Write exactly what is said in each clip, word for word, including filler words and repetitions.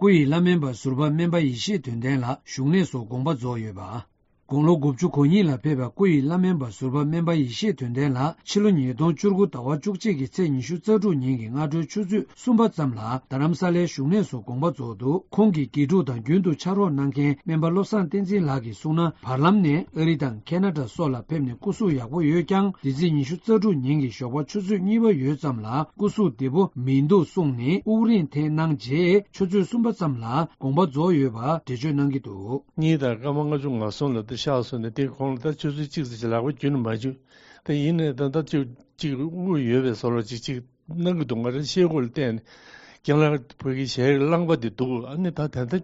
སྐུ་ཡི་བླ་སྨན་པ་ཟུར་པ་སྨན་པ་ཡེ་ཤེས་དོན་ལྡན་ལགས་བཞུགས་གནས་སུ་དགོངས་པ་རྫོགས་ཡོད་པ། དགུང་ལོ་དགུ་བཅུ་གོ་གཉིས་ལ་ཕེབས་པའི་སྐུ་ཡི་བླ་སྨན་པ་ཟུར་པ་སྨན་པ་ཡེ་ཤེས་དོན་ལྡན་ལགས་ཕྱི་ལོ་ཉིས་སྟོང་བཅུ་དགུ་ཟླ་བ་བཅུ་གཅིག་གི་ཚེས་ཉི་ཤུ་རྩ་དྲུག་ཉིན་གྱི་སྔ་དྲོའི་ཆུ་ཚོད་གསུམ་པ་ཙམ་ལ་རྡ་རམ་ས་ལའི་བཞུགས་གནས་སུ་དགོངས་པ་རྫོགས་འདུག་ཁོང་གི་དགེ་ཕྲུག་དང་རྒྱུན་དུ་ཕྱག་རོགས་གནང་མཁན་སྨན་པ་བློ་བཟང་བསྟན་འཛིན་ལགས་ཀྱིས་གསུངས་ན། བར་ལམ་ནས་ཨ་རི་དང་ཁེ་ན་ཌ་སོགས་ལ་ཕེབས་ནས་སྐུ་གཟུགས་ཡག་པོ་ཡོད་ཀྱང་། འདི་ཚེས་ཉི་ཤུ་རྩ་དྲུག་ཉིན་གྱི་ཞོགས་པ་ཆུ་ཚོད་གཉིས་པ་ཡོལ་ཙམ་ལ་སྐུ་གཟུགས་བདེ་པོ་མི་འདུག་གསུངས་ནས་དབུགས་རིང་འཐེན་གནང་རྗེས། ཆུ་ཚོད་གསུམ་པ་ཙམ་ལ་དགོངས་པ་རྫོགས་ཡོད་པ་འགྲེལ་བརྗོད་གནང་གི་འདུག་གཉིས་དང་སྐར་མ་ལྔ་བཅུ་ང་གསུམ་ལ་ད་གཤེགས་སོང་ནས། དེ་ཁོང་ལ་ད་ཆུ་ཚོད་གཅིག་ཙམ་ཞིག་ལག་པ་རྒྱུན་ནས་མ་འཇུ། ད་ཡིན་ནའི་ད་ལྟ་ཅིག་ཅིག་དངུལ་ཡོད་པའི་བཟོ་འདྲ་ཅིག་ཅིག་གནང་གི་འདུག་ང་རང་ཤེལ་སྒོ་ལ་བལྟས་ནས། རྒན་ལགས་ཕ་གི་ཞལ་རླངས་པ་འདི་འདུག་ཨ་ནི་ད་དེ་འདྲ་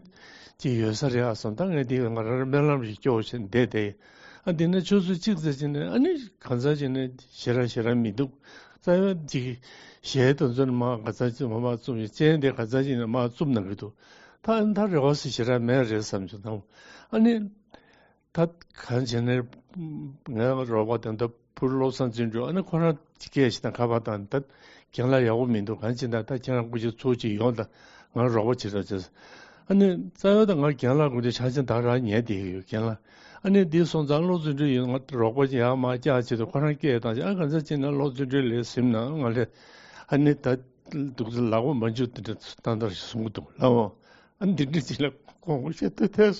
ཅིག་ཡོད་ས་རེད་ཨ་བསམ། ད་ངས་འདི་ང་རང་རང་སྨོན་ལམ་ཞིག་སྐྱོར་བཞིན་བསྡད་དེ། ཨ་འདི་ནས་ཆུ་ཚོད་གཅིག་ཙམ་ཕྱིན་ནས་ཨ་ནི་གང་ཟག་ཅིག་ནས་ཞེ་དྲག་ཞེ་དྲག་མི་འདུག་རྩ་བའི་ཅིག་ཞལ་དེ་ཚོ་ནས་མར་གང་ཟག་ཅིག་མར་མར་བཙུམས་ཡོད། སྤྱན་དེ་གང་ཟག་ཅིག་ནས་མར་བཙུམས་གནང་གི་འདུག་ད་ཨ་ནི་ད་རེ་བ་ཞིག་ཞེ་དྲག་མེད་རེད་བསམ་བྱུང་། ད་ཨ་ནི། ད་གང་བྱས་ནས་ངའི་རོགས་པ་དེ་འདྲ་བུ་བློ་བཟང་བརྩོན་འགྲུས་ཨ་ནི་ཁོ་རང་སྐད་ཞིག་དང་ཁ་པར་དང་། ད་རྒན་ལགས་ཡག་པོ་མི་འདུག་གང་བྱེད་ན་ད་ཁྱེད་རང་སྐུ་ཞབས་ཚུར་ཅིག་ཡོང་དང་། ང་རོགས་པ་བྱེད་རོགས་བྱེད། ཨ་ནི་རྩ་བའི་ད་ང་རྒན་ལགས་སྐུ་ཞབས་ཆ་ཆེན་ད་རང་ཉལ་བསྡད་ཡོད་རྒན་ལགས། ཨ་ནི་འདི་སོང་ཙང་བློ་བརྩོན་འགྲུས་ཡོད། ང་རོགས་པ་ཡག་མ་བཀྱག་བྱེད་དུ་ཁོ་རང་སྐད་བཏང་ཞིག་ཨ་གང་ཟག་ཅིག་ན་བློ་བརྩོན་འགྲུས་ལས་ཟིན་ན་ང་ལས་ཨ་ནི་ད་འདུག་ལག་པ་མ་འཇུ་དེ་འདྲ་ཏན་ཏན་ཞིག་གསུང་གི་འདུག་ལགས་འོང་། ཨ་འདི་འདྲ་ཅིག་ལ་དགོངས་པ་བཞེས་ཐུབ་ཐལ།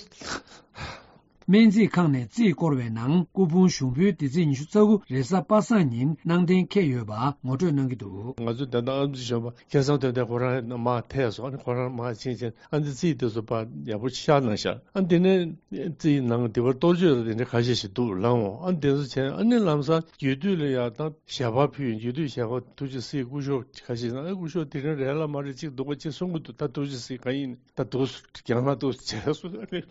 སྨན་རྩིས་ཁང་ནས་རྩིས་བསྐོར་བའི་ནང་སྐུ་ཕུང་ཞུགས་འབུལ་འདི་ཚེས་ཉི་ཤུ་རྩ་དགུ་རེས་གཟའ་པ་སངས་ཉིན་གནང་གཏན་འཁེལ་ཡོད་པ་ངོ་སྤྲོད་གནང་གི་འདུག་ང་ཚོ་ད་ལྟ་ཨ་མཆོག་གཞོན་པ་སྐལ་བཟང་དོན་ལྡན་ཁོ་རང་མར་ཐད་སོང་། ཨ་ནི་ཁོ་རང་མར་ཕྱིན་ཕྱིན་ཨ་འདི་རྩིས་དེ་ཚོ་ཕར་ཡག་པོ་ཤར་གནང་ཤག་ཨ་འདི་ནས་རྩིས་ནང་དེ་བར་གཏོར་བཅོས་དེ་འདྲ་ཁ་ཤས་ཤིག་འདུག་ལགས་འོང་། ཨ་འདི་ཚོ་བྱས་ཨ་ནི་ལམ་སང་རྒྱུད་སྟོད་ལ་ཡ་ད་ཞལ་པར་ཕུལ་ཡོང་། རྒྱུད་སྟོད་ཞལ་པར་ཐུགས་རྗེ་གཟིགས་སྐུ་ཞབས་ཁ་ཤས་ན་ཨ་སྐུ་ཞབས་དེ་རིང་རེད་ལ་མ་རེད་ཅིག་འདུག་པ་ཅིག་གསུང་གི་འདུག་ད་ཐུགས་རྗེ་གཟིགས་གང་ཡིན་ད་འདུག་རྒྱང་ལ་འདུག་བྱས་སོ་ཨ་ནི།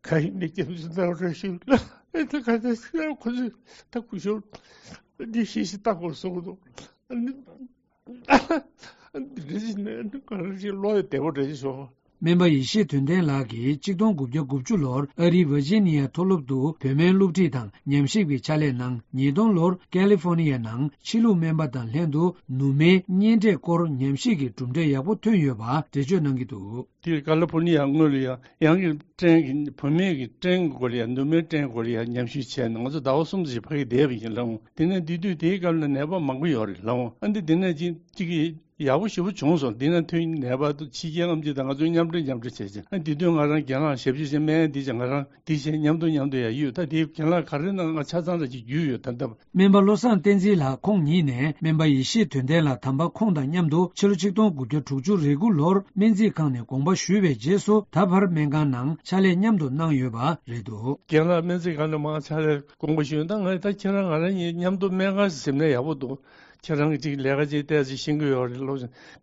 ག་ཡིན་ནས་སྐྱབས་བཅོལ་གནང་རོགས་ཞུ་ལ། ཨེ་ད་ག་ད་ཤི་ལ་ཁོ་ཚོས་ད་སྐུ་ཞབས་འདི་ཤེས་ཤེས་ལྟ་དགོས་གསུང་གི་འདུག་ཨ་ནི། འདི་འདྲ་ཞིག་ནས་ག་རེ་ཞིག་བློ་ཡི་བདེ་པོ་འདྲ་ཞིག་བྱུང་། སྨན་པ་ཡེ་ཤེས་དོན་ལྡན་ལགས་ཀྱིས་ཆིག་སྟོང་དགུ་བརྒྱ་དགུ་བཅུ་ལོར་ཨ་རིའི་ཝར་ཇི་ནི་ཡ་མཐོ་སློབ་ཏུ་བོད་སྨན་སློབ་ཁྲིད་དང་ཉམས་ཞིབ་ཀྱི་ཕྱག་ལས་གནང་། ཉིས་སྟོང་ལོར་ཀ་ལི་ཧྥོ་ནི་ཡ་ནང་ཕྱི་ལུགས་སྨན་པ་དང་ལྷན་དུ་ནུ་མའི་གཉན་འབྲས་སྐོར་ཉམས་ཞིབ་ཀྱི་གྲུབ་འབྲས་ཡག་པོ་ཐོན་ཡོད་པ་འགྲེལ་བརྗོད་གནང་གི་འདུག་དེར་ཀ་ལི་ཧྥོ་ནི་ཡ་སྔོན་ལ་ཡང་ཡང་གི་སྐྲན་གྱི་བུད་མེད་ཀྱི་སྐྲན་གྱི་སྐོར་ལ་ཡང་ནུ་མའི་སྐྲན་སྐོར་ལ་ཡང་ཉམས་ཞིབ་བྱས་ནས་ང་ཚོ་ཟླ་བ་གསུམ་ཙམ་ཞིག་ཕ་གིར་བསྡད་པ་ཡིན་ལགས་འོང་། དེ་ནས་དེ་དུས་དེའི་སྐབས་ལ་ནད་པ་མང་པོ་ཡོད་རེད་ལགས་འོང་། ཨ་འདི་དེ་ནས་ཅིག་ཅིག་གི་ཡག་པོ་ཞེ་པོ་བྱུང་སོང་། དེ་ནས་ཐོན་ནད་པ་དང་ཕྱི་རྒྱལ་ལྔ་བཅུ་དང་ང་ཚོ་མཉམ་འབྲེལ་མཉམ་འབྲེལ་བྱས་བྱས་ཨ་དེ་དུས་ང་རང་རྒན་ལགས་ཞབས་ཞུ་བྱས་སྨན་འདི་བྱས་ང་རང་འདི་བྱས་མཉམ་དུ་མཉམ་དུ་ཡང་ཡོད། ད་དེའི་རྒན་ལགས་ག་རེ་ན་ང་ཆ་ཚང་ལ་ཅིག་རྒྱུས་ཡོད་ད་ལྟ། སྨན་པ་བློ་བཟང་བསྟན་འཛིན་ལགས་ཁོང་ཉིད་ནས་སྨན་པ་ཡེ་ཤེས་དོན་ལྡན་ལགས་དམ་པ་ཁོང་དང་མཉམ་དུ་ཕྱི་ལོ་ཆིག་སྟོང་དགུ་བརྒྱ་དྲུག་ཅུ་རེ་དགུ་ལོར་སྨན་རྩིས་ཁང་ནས་དགོངས་པ་ཞུས་པའི་རྗེས་སུ་ད་བར་སྨན་ཁང་ནང་ཕྱག་ལས་མཉམ་དུ་གནང་ཡོད་པ་རེད་འདུག་རྒན་ལགས་སྨན་རྩིས་ཁང་ནས་མར་ཕྱག་ལས་དགོངས་པ་ཞུས། ད་ང་ད་ཁྱེད་རང་ང་རང་གཉིས་མཉམ་དུ་སྨན་ཁང་ཞིག་ཟིན་ན་ཡག་པོ་འདུག་ཁྱེད་རང་གིས་ཅིག་ལས་ཀ་ཅིག་ཏོག་ཙམ་ཤེས་ཀྱི་ཡོད་རེད་ལོ།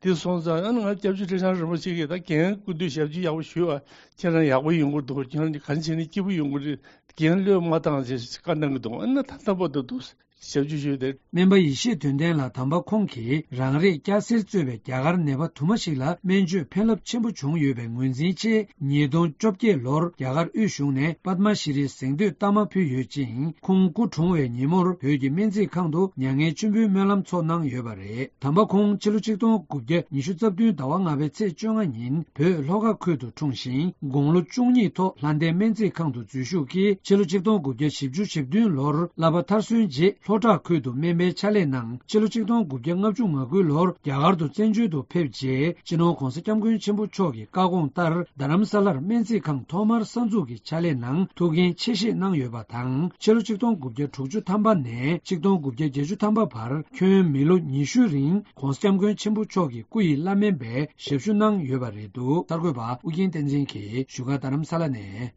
འདི་སོང་ཙང་ཨ་ནི་ང་སྐྱབས་རྗེ་ཁྲི་བྱང་རིན་པོ་ཆེ་གིས་ད་རྒན་སྐུ་མདུན་ཞབས་ཕྱི་ཡག་པོ་ཞུས་པ་ཁྱེད་རང་ཡག་པོ་ཡོང་གི་འདུག་ཁྱེད་རང་གིས་ག་རེ་བྱས་ནས་སྐྱིད་པོ་ཡོང་གི་རེད། རྒན་བློས་མ་བཏང་ཞེས་བཀའ་གནང་གི་འདུག་ཨ་ནི་ད་ལྟ་བར་དུ་འདུག་ཞབས་ཕྱི་ཞུས་ཏེ། སྨན་པ་ཡེ་ཤེས་དོན་ལྡན་ལགས་དམ་པ་ཁོང་གིས་རང་རེས་སྐྱ་སེར་གཙོས་པའི་རྒྱ་གར་ནད་པ་དུ་མ་ཞིག་ལ་སྨན་བཅོས་ཕན་རླབས་ཆེན་པོ་བྱུང་ཡོད་པའི་ངོས་འཛིན་ཆེད་ཉིས་སྟོང་བཅོ་བརྒྱད་ལོར་རྒྱ་གར་དབུས་གཞུང་ནས་པདྨ་ཤྲི་རིའི་གཟེངས་བསྟོད་རྟགས་མ་ཕུལ་ཡོད་ཅིང་། ཁོང་སྐུ་གྲོངས་པའི་ཉིན་མོར་བོད་ཀྱི་སྨན་རྩིས་ཁང་དུ་མྱ་ངན་མཆོད་འབུལ་སྨོན་ལམ་ཚོགས་གནང་ཡོད་པ་རེད། དམ་པ་ཁོང་ཕྱི་ལོ་ཆིག་སྟོང་དགུ་བརྒྱ་ཉི་ཤུ་རྩ་བདུན་ཟླ་བ་ལྔ་པའི་ཚེས་བཅོ་ལྔ་ཉིན་བོད་ལྷོ་ཁ་ཁུལ་དུ་འཁྲུངས་ཤིང་། དགུང་ལོ་བཅུ་གཉིས་ཐོག་ལྷ་ལྡན་སྨན་རྩིས་ཁང་དུ་འཛུལ་ཞུགས་ཀྱིས་ཕྱི་ལོ་ཆིག་སྟོང་དགུ་བརྒྱ་བཞི་བཅུ་ཞེ་བདུན་ལོར་བསླབ་པ་མཐར་སོན་རྗེས་ལྷོ་བྲག་ཁུལ་དུ་སྨན་པའི་ཕྱག་ལས་གནང་། ཕྱི་ལོ་ཆིག་སྟོང་དགུ་བརྒྱ་ལྔ་བཅུ་ང་དགུ་ལོར་རྒྱ་གར་དུ་བཙན་བྱོལ་དུ་ཕེབས་རྗེས་སྤྱི་ནོར་༧གོང་ས་༧སྐྱབས་མགོན་ཆེན་པོ་མཆོག་གི་བཀའ་དགོངས་ལྟར་རྡ་རམ་ས་ལར་སྨན་རྩིས་ཁང་ཐོག་མར་གསར་འཛུགས་ཀྱི་ཕྱག་ལས་ནང་ཐུགས་འགན་ཆེ་བཞེས་གནང་ཡོད་པ་དང་། ཕྱི་ལོ་ཆིག་སྟོང་དགུ་བརྒྱ་དྲུག་ཅུ་ཐམ་པ་ནས་ཆིག་སྟོང་དགུ་བརྒྱ་བརྒྱད་ཅུ་ཐམ་པ་བར་ཁྱོན་མི་ལོ་ཉི་ཤུའི་རིང་༧གོང་ས་༧སྐྱབས་མགོན་ཆེན་པོ་མཆོག་གི་སྐུ་ཡི་བླ་སྨན་པའི་ཞབས་ཞུ་གནང་ཡོད་པ་རེད་འདུག་གསར་འགོད་པ་ཨུ་རྒྱན་བསྟན་འཛིན་གྱིས་བཞུགས་སྒར་རྡ་རམ་ས་ལ་ནས།